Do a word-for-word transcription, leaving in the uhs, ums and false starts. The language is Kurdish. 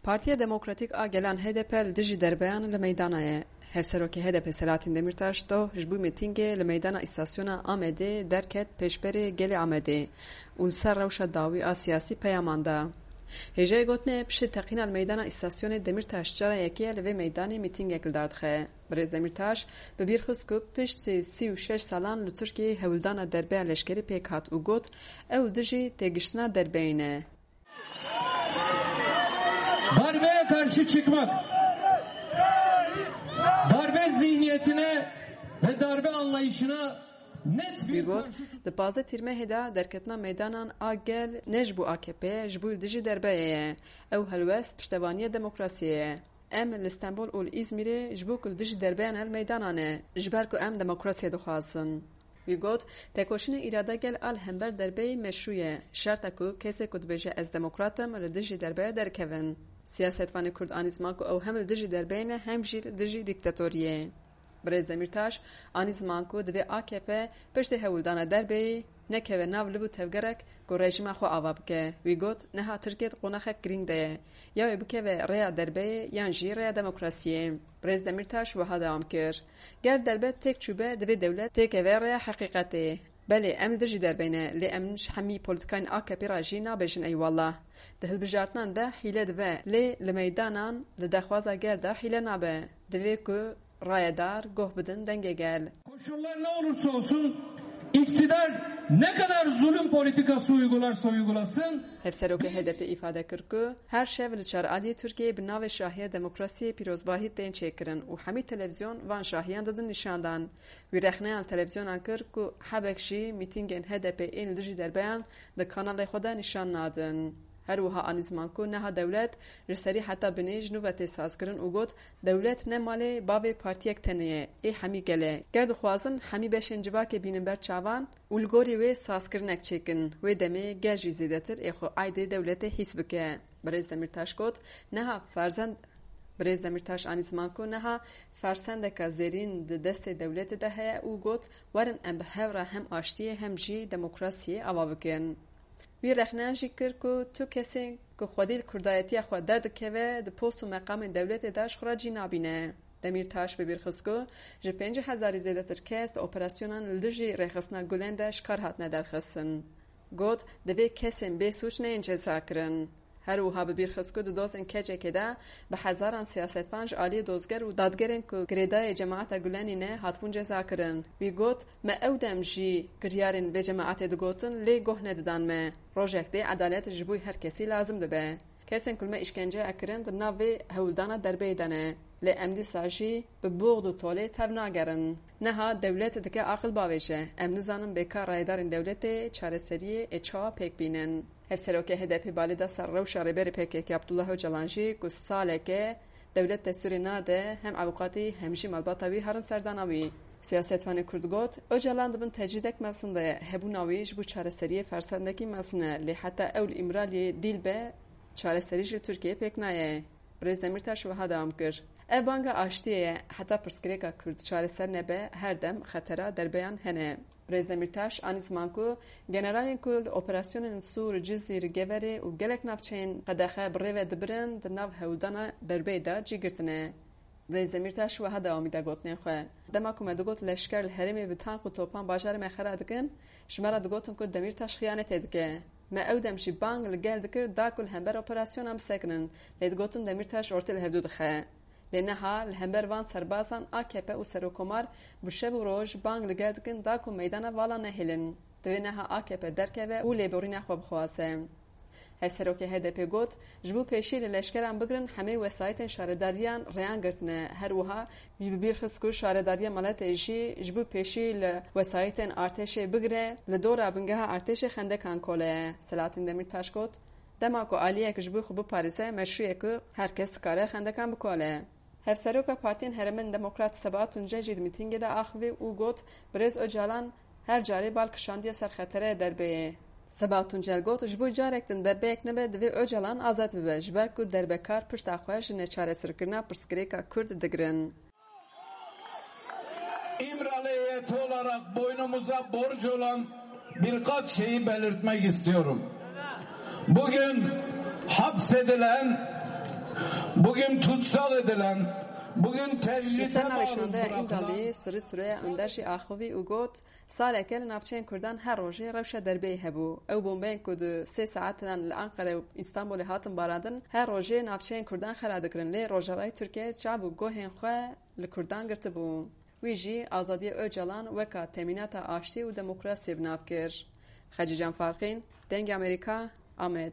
Partiya Demokratîk a Gelan H D P li dijî derbeyan li meydana ye. Hevserokê H D P Selahattin Demirtaş doh ji bo mîtîngê li meydana îstasyona Amedê derket pêşberê gelê Amedê û li ser rewşa dawî a siyasî peyaman da. Hêjayê gotinê piştî teqîna li meydana îstasyonê Demirtaş cara yekê ye li vê meydanê mîtîngek li dar dixe. Birêz Demirtaş bi bîr xist ku piştî sî û şeş salan li Tirkiyeyê hewldana derbeya leşkerî pêk hat û got, ew dijî têgiştina derbeyê ne. Darbeye karşı çıkmak, darbe zihniyetine ve darbe anlayışına net Wî bir got, karşı di pazdeh Tîrmehê de derketina meydanan a gel ne ji bo A K P ye, ji bo li dijî derbeyê ye. Ew helwest piştevaniya demokrasiyê ye. Em li Stenbol û li Îzmîrê ji bo ku li dijî derbeyan li meydana ne, ji ber ku em demokrasiya dixwazin. Wî got, tekoşîna îrada gel a li hember derbeyê meşrû ye. Şert e ku kesê ku dibêje ez demokrat im, li dijî derbeya derkevin. Siyasetvanê Kurd anî ziman ku ew hem li dijî derbeyê ne hem jî li dijî dîktatoriyê. Birêz Demîrtaş anî ziman ku divê A K P piştî hewldana derbeyê nekeve nav liv û tevgerek ku rejîma xwe ava bike. Wî got, niha Tirkiye di qonaxek girîng de ye. Ya wê bikeve rêya derbeyê yan jî rêya demokrasiyê. Birêz Demîrtaş wiha dewam kir, ger derbe têk çûbe, divê dewlet têkeve rêya heqîqetê. Belê, em li dijî derbeyê ne, lê em ji hemî polîtîkayên A K P re jî nabêjin eyvallah. Di hilbijartinan de hîle dibe, lê li meydanan, li daxwaza gel de hîle nabe. Divê ku rayedar guh bidin dengê gel. Koşullar ne olursa olsun, iktidar ne kadar zulüm politikası uygularsa uygulasın, Hevserokê H D P îfade kir ku her şev li çar aliyê Tirkiyeyê bi navê Şahiya Demokrasiyê pîrozbahî tên çêkirin û hemî televîzyon van şahiyan didin nîşandan. Wî rexneya li televîzyonan kir ku hebek jî mîtîngên H D P ên li dijî derbeyan di kanalê xwe de nîşan nadin. Her wiha anî ziman ku niha dewlet ji serî heta binê ji nû ve tê sazkirin û got, dewlet ne malê bavê partiyek tenê ye, ê hemî gel e. Ger dixwazin hemî beşên civakê bînin ber çavan û li gorî wê sazkirinek çêkin, wê demê gel jî zêdetir ê xwe aydê dewletê hîs bike. Birêz Demîrtaş got, niha ferzend Birêz Demîrtaş anî ziman ku niha fersendeka zêrîn di destê dewletê de heye û got, werin em bi hev re hem aştiyê hem jî demokrasiyê ava bikin. Wî rexneyan jî kir ku tu kesên ku xwedî li kurdayetiya xwe derdikeve, di post û meqamên dewletê de ji xwe re cî nabîne. Demîrtaş bi bîr xist ku ji pêncî hezarî zêdetir kes di operasyonan li dijî rêxistina Gulen de ji kar hatine derxistin. Got, divê kesên bê sûc neyên cezakirin. Her wiha bi bîr xist ku di dozên kecekê de bi hezaran siyasetvan ji aliyê dozger û dadgerên ku girêdayê cemaeta Gulenî ne hatibûn cezakirin. Wî got, me ew dem jî kiryarên vê cemaetê digotin, lê guh nedidan me. Rojek dê edalet ji bo her kesî lazim dibe. Kesên ku li me îşkence kirin di nav vê hewldana derbeyê de ne. Lê em dîsa jî bi buxd û tolê tev nagerin. Niha dewlet dike aqil bavêje. Em nizanin bê ka rayedarên dewletê çareseriyê ê çawa pêk bînin. Hevserokê H D P balê da ser rewşa Rêberê P K K Abdullah Ocalan jî ku salek e dewlet destûrê nade hem avûkatî hem jî malbata wî herin serdana wî. Siyasetvanê Kurd got, Ocalan di bin tecrîdek mezin de ye. Hebûna wî ji bo çareseriyê fersendekî mezin e, lê heta ew li Îmraliyê dîl be, çareserî ji Tirkiyeyê pêk nayê. Birêz Demîrtaş wiha dewam kir, ev banga aştiyê ye, heta pirsgirêka Kurd çareser nebe, her dem xetera derbeyan hene. Birêz Demîrtaş anî ziman ku generalên ku li operasyonên Sûr, Cizîr, Geverê û gelek navçeyên qedexe bi rê ve dibirin, di nav hewldana derbeyê de cî girtine. Birêz Demîrtaş wiha dewamî da gotinên xwe, dema ku me digot leşker li herêmê bi tank û topan bajarê me xera dikin, ji me re digotin ku Demîrtaş xiyanetê dike. Me ew dem jî bang li gel dikir da ku li hember operasyonan bisekinin, lê digotin Demîrtaş ortê li hevdû dixe. Lê niha li hember van serbazan A K P û Serokkomar bi şev û roj bang li gel dikin da ku meydana vala nehêlin. Divê niha A K P derkeve û lêborîna xwe bixwaze. Hevserokê H D P got, ji bo pêşî li leşkeran bigirin hemê wesayîtên şaredariyan rêyan girtine. Her wiha wî bi bîr xist ku şaredariya miletê jî ji bo pêşî li wesayîtên artêşê bigire, li dora bingeha artêşê xendekan kole ye. Selahattin Demîrtaş got, dema ku aliyek ji bo xwe biparêze, meşrû ye ku her kes dikare xendekan bikole. Hevseroka Partiyên Herêmên Demokrat Sebahat Tuncel jî di mîtîngê de axivî û got, Birêz Ocalan her carê bal kişandiye ser xeterê derbeyê. Sebahat Tuncel got, ji bo carek din derbeyek nebe divê Ocalan azad bibe, ji ber ku derbekar pişta xwe ji neçareserkirina pirsgirêka Kurd digirin. İmralı heyeti olarak boynumuza borç olan birkaç şeyi belirtmek istiyorum. Bugün hapsedilen Bugün tutsal edilen, bugün Li ser navê şandeya Îmraliyê Sirri Süreyya Önder jî axivî û got, saleke li navçeyên Kurdan her rojê rewşa derbeyê hebû. Ew bombeyên ku di sê saetan li Anqere û Îstanbulê hatin barandin, her rojê navçeyên Kurdan xera dikirin, lê Rojavayê Tirkiyeyê çav û guhên xwe li Kurdan girtibû. Wî jî azadiya Ocalan weka temînata aştî û demokrasiyê bi nav kir. Xecîcan Farqîn, Dengê Amerîka, Amed.